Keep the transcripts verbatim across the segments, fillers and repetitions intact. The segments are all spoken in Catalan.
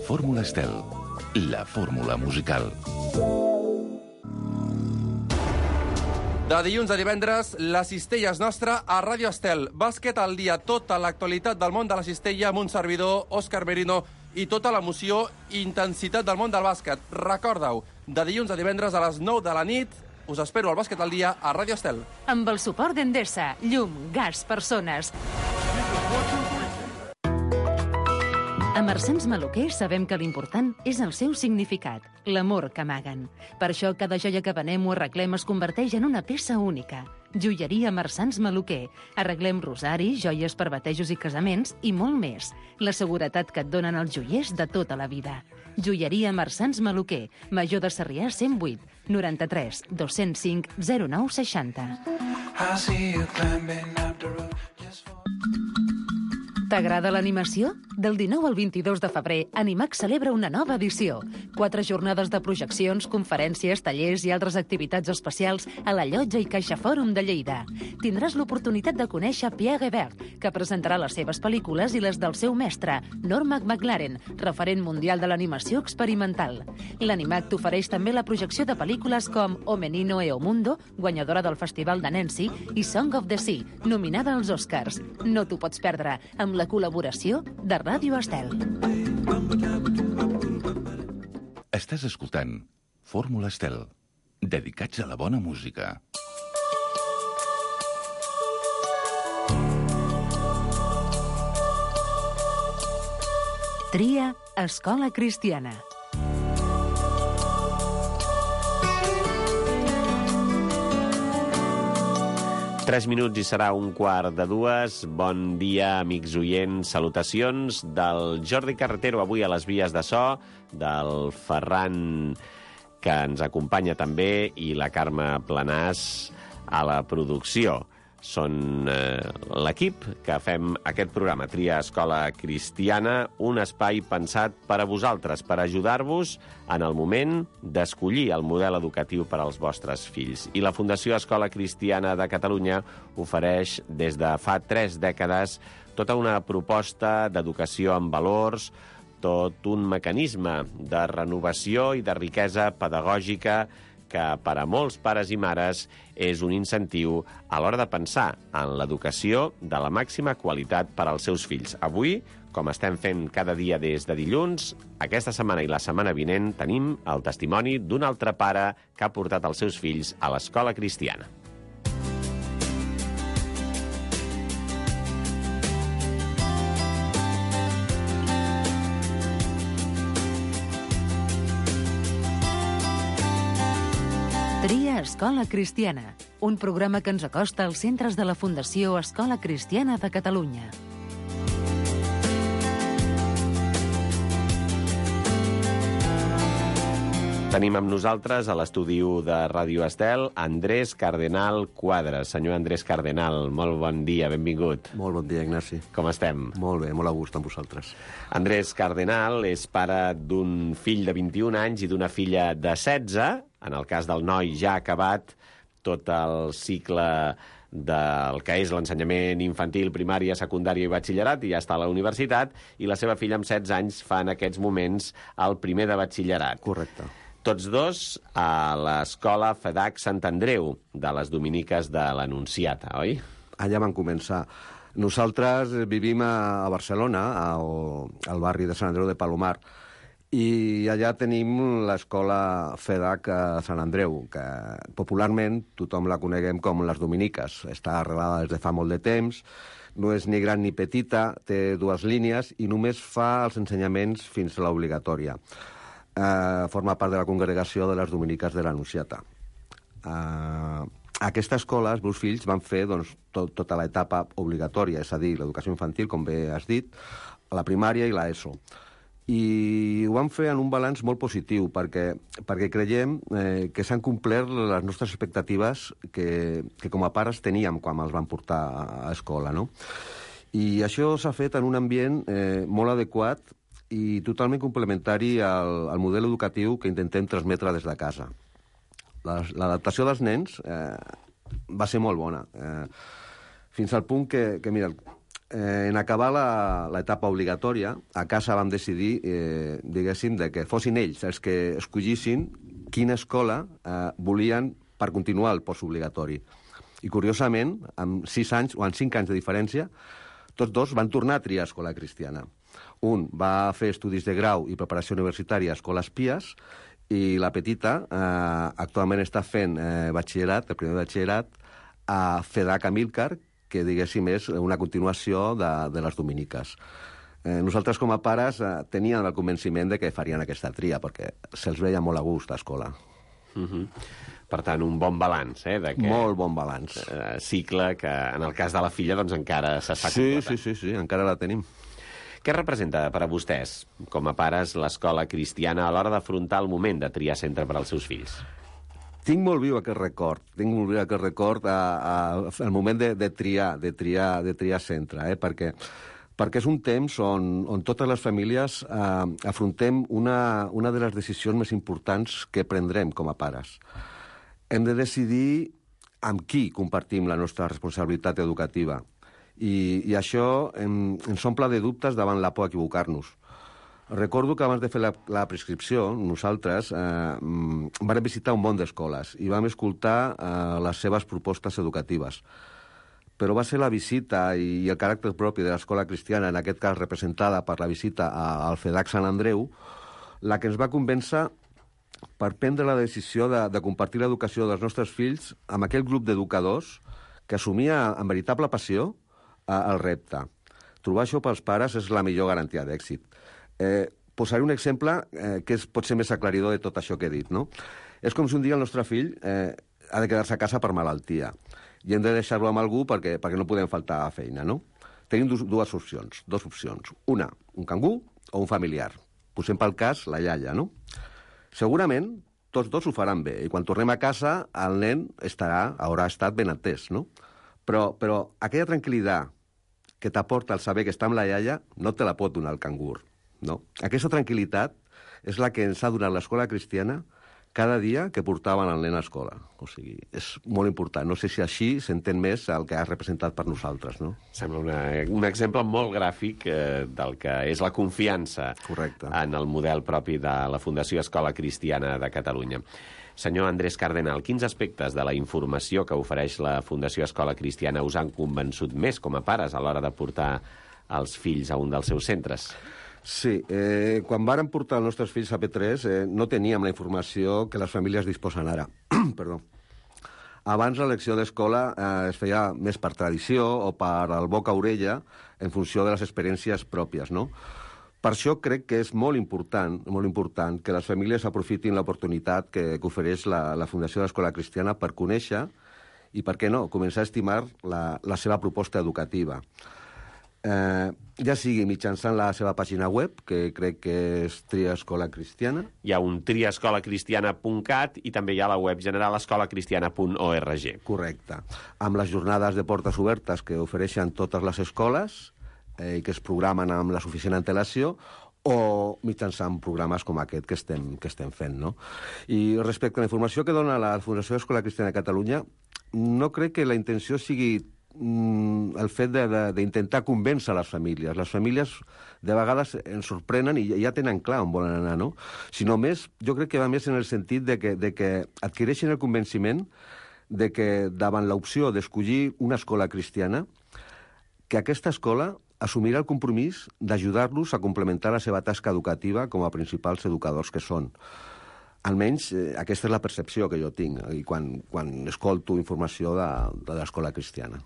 Fórmula Estel, la fórmula musical. De dilluns a divendres, la cistella és nostra a Ràdio Estel. Bàsquet al dia, tota l'actualitat del món de la cistella amb un servidor, Òscar Merino, i tota l'emoció i intensitat del món del bàsquet. Recorda-ho, de dilluns a divendres a les nou de la nit, us espero al Bàsquet al dia a Ràdio Estel. Amb el suport d'Endesa, llum, gas, persones. A Marsans Maluquer sabem que l'important és el seu significat, l'amor que amaguen. Per això cada joia que venem o arreglem es converteix en una peça única. Joieria Marsans Maluquer. Arreglem rosaris, joies per batejos i casaments i molt més. La seguretat que et donen els joiers de tota la vida. Joieria Marsans Maluquer. Major de Sarrià cent vuit, noranta-tres, dos-cents cinc, zero nou seixanta. T'agrada l'animació? Del dinou al vint-i-dos de febrer, Animax celebra una nova edició. Quatre jornades de projeccions, conferències, tallers i altres activitats especials a la Llotja i Caixa Fòrum de Lleida. Tindràs l'oportunitat de conèixer Pierre Hébert, que presentarà les seves pel·lícules i les del seu mestre, Norma McLaren, referent mundial de l'animació experimental. L'Animax t'ofereix també la projecció de pel·lícules com O Menino e o Mundo, guanyadora del Festival de Nancy, i Song of the Sea, nominada als Oscars. No t'ho pots perdre, amb la col·laboració de Ràdio Estel. Estàs escoltant Fórmula Estel, dedicats a la bona música. Tria Escola Cristiana. Tres minuts i serà un quart de dues. Bon dia, amics oients. Salutacions del Jordi Carretero, avui a les vies de so, del Ferran, que ens acompanya també, i la Carme Planàs a la producció. Són eh, l'equip que fem aquest programa, Tria Escola Cristiana, un espai pensat per a vosaltres, per ajudar-vos en el moment d'escollir el model educatiu per als vostres fills. I la Fundació Escola Cristiana de Catalunya ofereix des de fa tres dècades tota una proposta d'educació amb valors, tot un mecanisme de renovació i de riquesa pedagògica que per a molts pares i mares és un incentiu a l'hora de pensar en l'educació de la màxima qualitat per als seus fills. Avui, com estem fent cada dia des de dilluns, aquesta setmana i la setmana vinent tenim el testimoni d'un altre pare que ha portat els seus fills a l'escola cristiana. Tria Escola Cristiana, un programa que ens acosta als centres de la Fundació Escola Cristiana de Catalunya. Tenim amb nosaltres a l'estudi de Ràdio Estel Andrés Cardenal Quadras. Senyor Andrés Cardenal, molt bon dia, benvingut. Molt bon dia, Ignasi. Com estem? Molt bé, molt a gust amb vosaltres. Andrés Cardenal és pare d'un fill de vint-i-un anys i d'una filla de setze. En el cas del noi ja ha acabat tot el cicle del que és l'ensenyament infantil, primària, secundària i batxillerat, i ja està a la universitat, i la seva filla amb setze anys fa en aquests moments el primer de batxillerat. Correcte. Tots dos a l'escola FEDAC Sant Andreu, de les Dominiques de l'Anunciata, oi? Allà van començar. Nosaltres vivim a Barcelona, al barri de Sant Andreu de Palomar, i allà tenim l'escola FEDAC a Sant Andreu, que popularment tothom la coneguem com les Dominiques. Està arrelada des de fa molt de temps, no és ni gran ni petita, té dues línies i només fa els ensenyaments fins a l'obligatòria. Uh, forma part de la congregació de les Dominiques de l'Anunciata. Uh, aquesta escola, els meus fills van fer doncs, tot, tota l'etapa obligatòria, és a dir, l'educació infantil, com bé has dit, la primària i l'ESO. I ho vam fer en un balanç molt positiu, perquè, perquè creiem eh, que s'han complert les nostres expectatives que, que com a pares teníem quan els vam portar a escola, no? I això s'ha fet en un ambient eh, molt adequat i totalment complementari al, al model educatiu que intentem transmetre des de casa. L'adaptació dels nens eh, va ser molt bona, eh, fins al punt que, que mira, eh, en acabar l'etapa obligatòria, a casa vam decidir, eh, diguéssim, de que fossin ells els que escollissin quina escola eh, volien per continuar el postobligatori. I, curiosament, amb sis anys o amb cinc anys de diferència, tots dos van tornar a triar escola cristiana. Un va fer estudis de grau i preparació universitària a Escoles Pies i la petita eh, actualment està fent eh, batxillerat, el primer batxillerat, a FEDAC Amílcar, que, diguéssim, és una continuació de, de les dominiques. Eh, nosaltres, com a pares, eh, teníem el convenciment de que farien aquesta tria, perquè se'ls veia molt a gust a escola. Uh-huh. Per tant, un bon balanç, eh? De que, molt bon balanç. Eh, cicle que, en el cas de la filla, doncs encara s'està sí, completant. Sí, sí, sí, encara la tenim. Què representa per a vostès, com a pares, l'escola cristiana a l'hora d'afrontar el moment de triar centre per als seus fills? Tinc molt viu aquest record, tinc molt viu aquest record a, a, al moment de, de triar, de triar, de triar centre, eh? perquè, perquè és un temps on, on totes les famílies eh, afrontem una, una de les decisions més importants que prendrem com a pares. Hem de decidir amb qui compartim la nostra responsabilitat educativa. I, i això em, ens omple de dubtes davant la por a equivocar-nos. Recordo que abans de fer la, la prescripció, nosaltres eh, vam visitar un bon d'escoles i vam escoltar eh, les seves propostes educatives. Però va ser la visita i, i el caràcter propi de l'escola cristiana, en aquest cas representada per la visita a, al FEDAC Sant Andreu, la que ens va convèncer per prendre la decisió de, de compartir l'educació dels nostres fills amb aquell grup d'educadors que assumia amb veritable passió eh, el repte. Trobar això pels pares és la millor garantia d'èxit. Eh, posaré un exemple eh, que és potser més aclaridor de tot això que he dit, no? És com si un dia el nostre fill eh, ha de quedar-se a casa per malaltia i hem de deixar-lo amb algú perquè, perquè no podem faltar a feina, no? Tenim dues, dues opcions, dues opcions. Una, un cangú o un familiar. Posem pel cas la iaia, no? Segurament tots dos ho faran bé i quan tornem a casa el nen estarà, haurà estat ben atès, no? Però, però aquella tranquil·litat que t'aporta el saber que està amb la iaia no te la pot donar el cangur, no? Aquesta tranquil·litat és la que ens ha donat l'escola cristiana cada dia que portaven el nen a escola. O sigui, és molt important. No sé si així s'entén més el que has representat per nosaltres, no? Sembla una, un exemple molt gràfic eh, del que és la confiança Correcte. En el model propi de la Fundació Escola Cristiana de Catalunya. Senyor Andrés Cardenal, quins aspectes de la informació que ofereix la Fundació Escola Cristiana us han convençut més com a pares a l'hora de portar els fills a un dels seus centres? Sí, eh, quan vàrem portar els nostres fills a P tres eh, no teníem la informació que les famílies disposen ara. Perdó. Abans l'elecció d'escola eh, es feia més per tradició o per el boca-orella en funció de les experiències pròpies, no? Per això crec que és molt important, molt important que les famílies aprofitin l'oportunitat que, que ofereix la, la Fundació de l'Escola Cristiana per conèixer i, per què no, començar a estimar la, la seva proposta educativa. Eh, ja sigui mitjançant la seva pàgina web, que crec que és Tria Escola Cristiana. Hi ha un tria escola cristiana punt cat i també hi ha la web general escola cristiana punt org. Correcte. Amb les jornades de portes obertes que ofereixen totes les escoles eh, i que es programen amb la suficient antelació, o mitjançant programes com aquest que estem, que estem fent, no? I respecte a la informació que dona la Fundació Escola Cristiana de Catalunya, no crec que la intenció sigui el fet d'intentar convèncer les famílies. Les famílies de vegades ens sorprenen i ja tenen clar on volen anar, no? Sinó més, jo crec que va més en el sentit de que, de que adquireixen el convenciment de que davant l'opció d'escollir una escola cristiana, que aquesta escola assumirà el compromís d'ajudar-los a complementar la seva tasca educativa com a principals educadors que són. Almenys eh, aquesta és la percepció que jo tinc i quan, quan escolto informació de, de l'escola cristiana.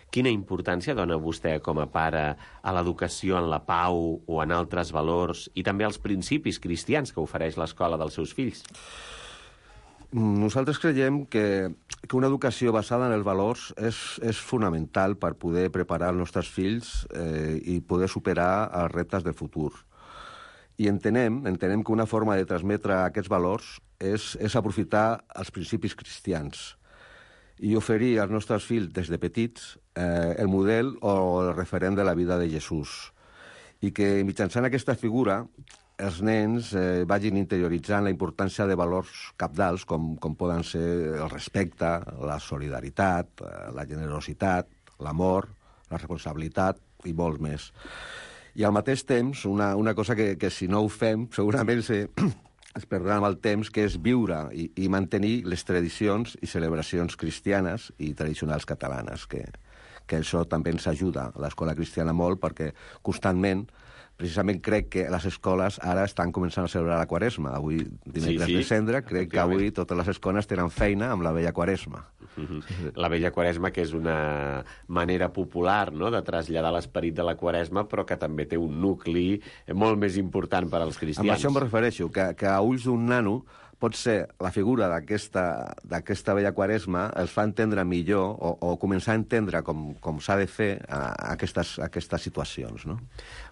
Quina importància dona vostè com a pare a l'educació en la pau o en altres valors i també als principis cristians que ofereix l'escola dels seus fills? Nosaltres creiem que, que una educació basada en els valors és, és fonamental per poder preparar els nostres fills eh, i poder superar els reptes del futur. I entenem, entenem que una forma de transmetre aquests valors és, és aprofitar els principis cristians i oferir als nostres fills des de petits eh, el model o el referent de la vida de Jesús. I que mitjançant aquesta figura els nens eh, vagin interioritzant la importància de valors cabdals com, com poden ser el respecte, la solidaritat, eh, la generositat, l'amor, la responsabilitat, i molts més. I al mateix temps, una, una cosa que, que si no ho fem, segurament se, es perdrà amb el temps, que és viure i, i mantenir les tradicions i celebracions cristianes i tradicionals catalanes, que, que això també ens ajuda a l'escola cristiana molt, perquè constantment, precisament crec que les escoles ara estan començant a celebrar la Quaresma. Avui, dimecres sí, sí, de Cendra, crec que avui totes les escoles tenen feina amb la vella Quaresma. Mm-hmm. La vella Quaresma, que és una manera popular, no?, de traslladar l'esperit de la Quaresma, però que també té un nucli molt més important per als cristians. Amb això em refereixo, que, que a ulls d'un nano pot ser la figura d'aquesta vella Quaresma els fa entendre millor o, o començar a entendre com, com s'ha de fer a, a aquestes, a aquestes situacions, no?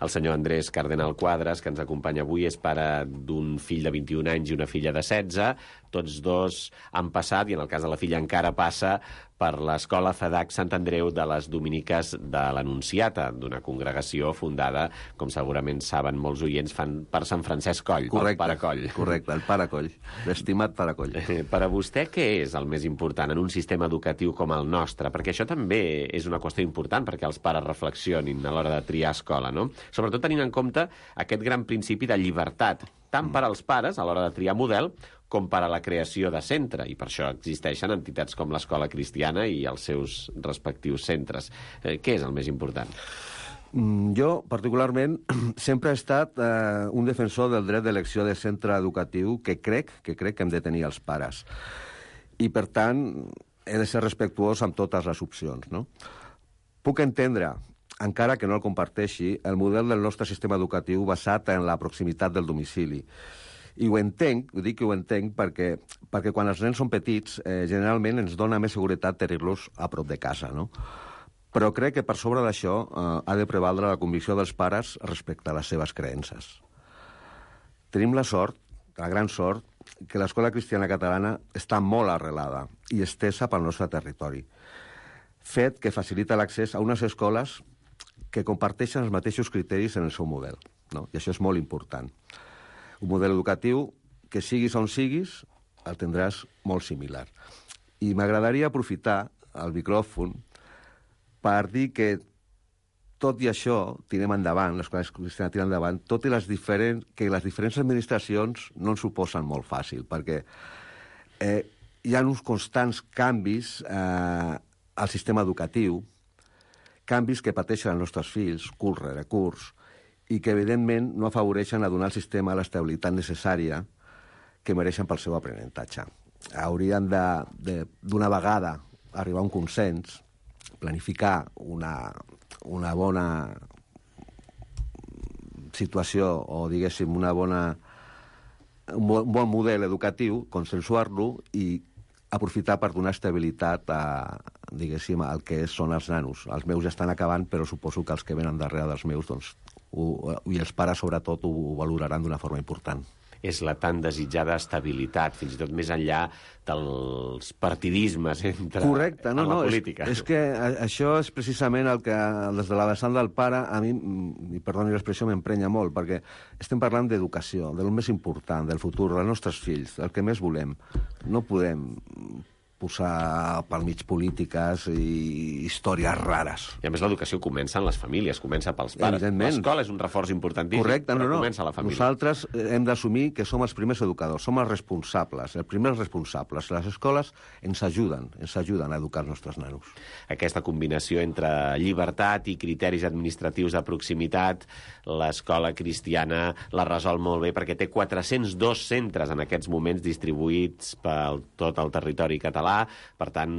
El senyor Andrés Cardenal Quadres, que ens acompanya avui, és pare d'un fill de vint-i-un anys i una filla de setze. Tots dos han passat, i en el cas de la filla encara passa, per l'escola FEDAC Sant Andreu de les Dominiques de l'Anunciata, d'una congregació fundada, com segurament saben molts oients, fan per Sant Francesc Coll, correcte, el Pare Coll. Correcte, el Pare Coll, l'estimat Pare Coll. Per a vostè, què és el més important en un sistema educatiu com el nostre? Perquè això també és una qüestió important perquè els pares reflexionin a l'hora de triar escola, no? Sobretot tenint en compte aquest gran principi de llibertat, tant per als pares a l'hora de triar model com per a la creació de centre, i per això existeixen entitats com l'Escola Cristiana i els seus respectius centres. Eh, què és el més important? Jo, particularment, sempre he estat eh, un defensor del dret d'elecció de centre educatiu que crec que crec que hem de tenir els pares. I, per tant, he de ser respectuós amb totes les opcions, no? Puc entendre, encara que no el comparteixi, el model del nostre sistema educatiu basat en la proximitat del domicili. I ho entenc, ho dic que ho entenc, perquè, perquè quan els nens són petits, eh, generalment ens dona més seguretat tenir-los a prop de casa, no? Però crec que per sobre d'això eh, ha de prevaldre la convicció dels pares respecte a les seves creences. Tenim la sort, la gran sort, que l'escola cristiana catalana està molt arrelada i estesa pel nostre territori, fet que facilita l'accés a unes escoles que comparteixen els mateixos criteris en el seu model, no? I això és molt important. Un model educatiu que siguis on siguis el tindràs molt similar. I m'agradaria aprofitar el micròfon per dir que tot i això tirem endavant, l'escola cristiana tira endavant, tot i les diferents, que les diferents administracions no ens ho posen molt fàcil, perquè eh, hi ha uns constants canvis eh, al sistema educatiu, canvis que pateixen els nostres fills, curs rere curs, i que, evidentment, no afavoreixen a donar al sistema l'estabilitat necessària que mereixen pel seu aprenentatge. Haurien d'una vegada arribar a un consens, planificar una, una bona situació o, diguéssim, una bona, un bon model educatiu, consensuar-lo i aprofitar per donar estabilitat a, diguéssim, al que són els nanos. Els meus ja estan acabant, però suposo que els que venen darrere dels meus, doncs, ho, i els pares, sobretot, ho valoraran d'una forma important. És la tan desitjada estabilitat, fins i tot més enllà dels partidismes entre Correcte, no, en la no, política. És, és que això és precisament el que, des de la vessant del pare, a mi, i perdoni l'expressió, m'emprenya molt, perquè estem parlant d'educació, del més important, del futur, dels nostres fills, el que més volem. No podem posar pel mig polítiques i històries rares. I a més l'educació comença en les famílies, comença pels pares. L'escola és un reforç importantíssim, correcte, no, però no. comença a la família. Nosaltres hem d'assumir que som els primers educadors, som els responsables, els primers responsables. Les escoles ens ajuden, ens ajuden a educar els nostres nanos. Aquesta combinació entre llibertat i criteris administratius de proximitat, l'escola cristiana la resol molt bé perquè té quatre-cents dos centres en aquests moments distribuïts per tot el territori català. Per tant,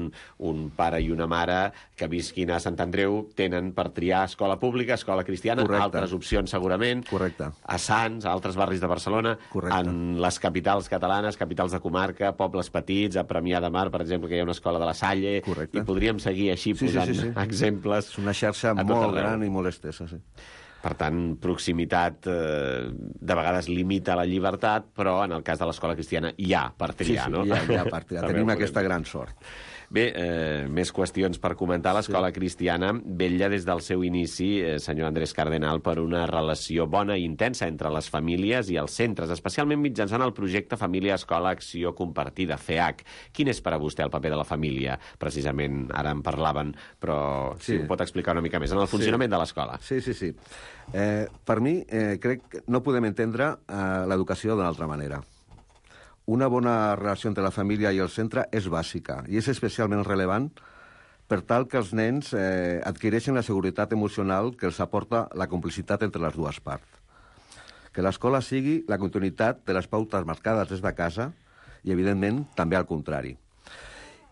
un pare i una mare que visquin a Sant Andreu tenen per triar escola pública, escola cristiana, correcte, altres opcions segurament, correcte, a Sants, a altres barris de Barcelona, correcte, en les capitals catalanes, capitals de comarca, pobles petits, a Premià de Mar, per exemple, que hi ha una escola de la Salle, correcte, i podríem seguir així sí, posant sí, sí, sí. exemples. És una xarxa molt gran i molt estesa, sí. Per tant, proximitat eh, de vegades limita la llibertat, però en el cas de l'escola cristiana hi ha per triar, sí, sí, no? hi ha, hi ha per triar. Tenim aquesta gran sort. Bé, eh, més qüestions per comentar. L'escola sí. cristiana vetlla des del seu inici, eh, senyor Andrés Cardenal, per una relació bona i intensa entre les famílies i els centres, especialment mitjançant el projecte Família Escola Acció Compartida, F E A C. Quin és per a vostè el paper de la família? Precisament ara en parlaven, però sí. si ho pot explicar una mica més, en el funcionament sí. de l'escola. Sí, sí, sí. Eh, per mi, eh, crec que no podem entendre eh, l'educació d'una altra manera. Una bona relació entre la família i el centre és bàsica i és especialment rellevant per tal que els nens eh, adquireixen la seguretat emocional que els aporta la complicitat entre les dues parts. Que l'escola sigui la continuïtat de les pautes marcades des de casa i, evidentment, també al contrari.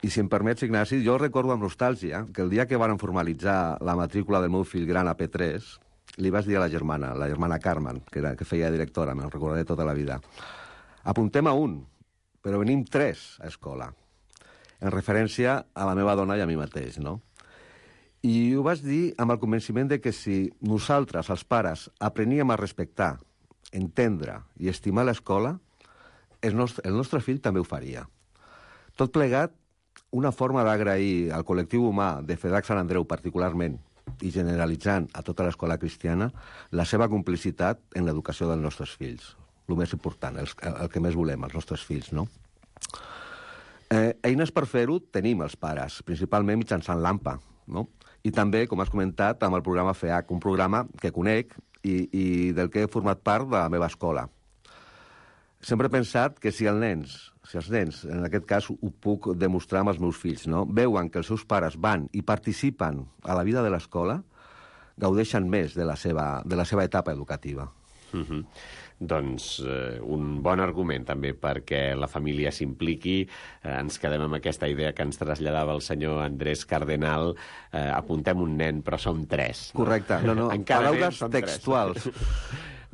I si em permets, Ignasi, jo recordo amb nostàlgia que el dia que van formalitzar la matrícula del meu fill gran a P tres, li vaig dir a la germana, la germana Carmen, que, era, que feia directora, me'n recordaré tota la vida, apuntem a un, però venim tres a escola, en referència a la meva dona i a mi mateix, no? I ho vaig dir amb el convenciment de que si nosaltres, els pares, apreníem a respectar, entendre i estimar l'escola, el nostre, el nostre fill també ho faria. Tot plegat, una forma d'agrair al col·lectiu humà de F E D A C Sant Andreu particularment i generalitzant a tota l'escola cristiana la seva complicitat en l'educació dels nostres fills. El més important, el, el que més volem, els nostres fills, no? Eh, eines per fer-ho tenim els pares, principalment mitjançant l'A M P A, no? I també, com has comentat, amb el programa F E A C, un programa que conec i, i del que he format part de la meva escola. Sempre he pensat que si els nens, si els nens, en aquest cas ho puc demostrar amb els meus fills, no? Veuen que els seus pares van i participen a la vida de l'escola, gaudeixen més de la seva, de la seva etapa educativa. Mm-hmm. Doncs eh, un bon argument també perquè la família s'impliqui. Eh, ens quedem amb aquesta idea que ens traslladava el senyor Andrés Cardenal. Eh, apuntem un nen, però som tres. No? Correcte. No, no. Paraules textuals.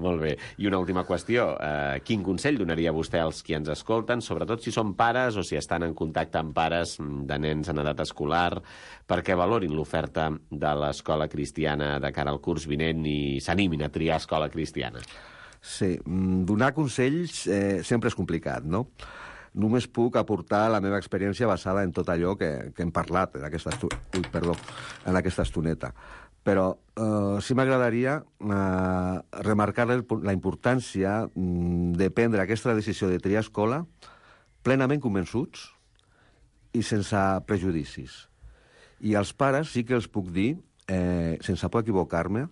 Molt bé. I una última qüestió. Eh, quin consell donaria vostè als qui ens escolten, sobretot si són pares o si estan en contacte amb pares de nens en edat escolar, perquè valorin l'oferta de l'escola cristiana de cara al curs vinent i s'animin a triar escola cristiana? Sí, donar consells eh, sempre és complicat, no? Només puc aportar la meva experiència basada en tot allò que, que hem parlat en aquesta, estu... Ui, perdó, en aquesta estoneta. Però eh, sí m'agradaria eh, remarcar la importància de prendre aquesta decisió de triar escola plenament convençuts i sense prejudicis. I als pares sí que els puc dir, eh, sense por equivocar-me,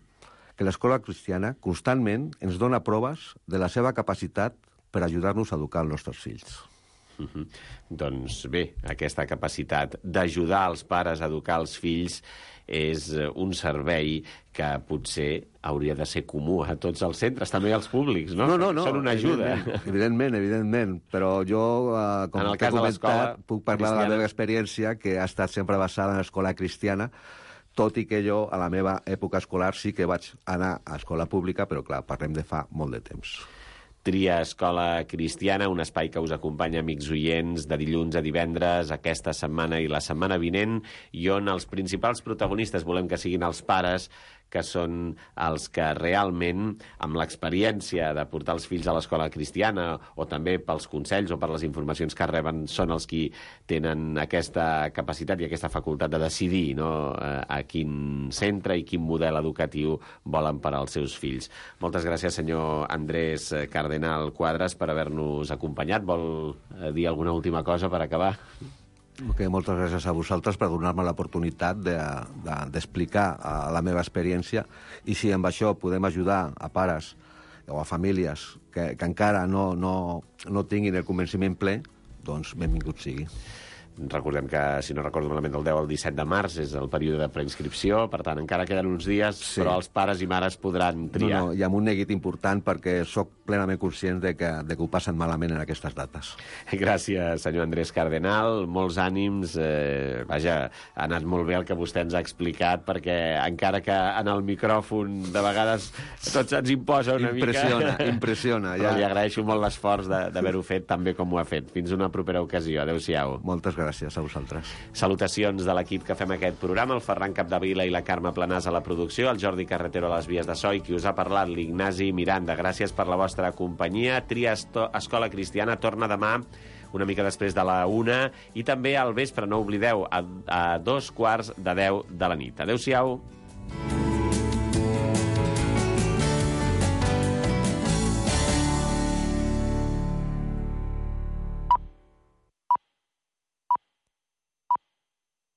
que l'escola cristiana constantment ens dona proves de la seva capacitat per ajudar-nos a educar els nostres fills. Mm-hmm. Doncs bé, aquesta capacitat d'ajudar els pares a educar els fills és un servei que potser hauria de ser comú a tots els centres, també als públics, no? No, no, no. Són una ajuda. Evidentment, evidentment, evidentment. Però jo, eh, com en el t'he cas comentat, puc parlar cristiana. de la meva experiència, que ha estat sempre basada en l'escola cristiana, tot i que jo, a la meva època escolar, sí que vaig anar a escola pública, però, clar, parlem de fa molt de temps. Tria Escola Cristiana, un espai que us acompanya, amics oients, de dilluns a divendres, aquesta setmana i la setmana vinent, i on els principals protagonistes volem que siguin els pares, que són els que realment, amb l'experiència de portar els fills a l'escola cristiana, o també pels consells o per les informacions que reben, són els qui tenen aquesta capacitat i aquesta facultat de decidir, no?, a quin centre i quin model educatiu volen per als seus fills. Moltes gràcies, senyor Andrés Cardenal Quadras, per haver-nos acompanyat. Vol dir alguna última cosa per acabar? Okay, moltes gràcies a vosaltres per donar-me l'oportunitat d'explicar de, de, la meva experiència, i si amb això podem ajudar a pares o a famílies que, que encara no, no, no tinguin el convenciment ple, doncs benvingut sigui. Recordem que, si no recordo malament, del deu al disset de març és el període de preinscripció, per tant, encara queden uns dies, sí. Però els pares i mares podran triar. No, no, i amb un neguit important, perquè sóc plenament conscient de que, de que ho passen malament en aquestes dates. Gràcies, senyor Andrés Cardenal. Molts ànims. Eh, vaja, ha anat molt bé el que vostè ens ha explicat, perquè encara que en el micròfon de vegades tot se'ns imposa una impressiona, mica... Impressiona, Però ja. li agraeixo molt l'esforç d'haver-ho fet tan bé com ho ha fet. Fins una propera ocasió. Adéu-siau. Moltes gràcies. Gràcies a vosaltres. Salutacions de l'equip que fem aquest programa, el Ferran Capdevila i la Carme Planàs a la producció, el Jordi Carretero a les vies de so i qui us ha parlat, l'Ignasi Miranda. Gràcies per la vostra companyia. Tria Escola Cristiana torna demà una mica després de la una, i també al vespre, no oblideu, a, a dos quarts de deu de la nit. Adéu-siau.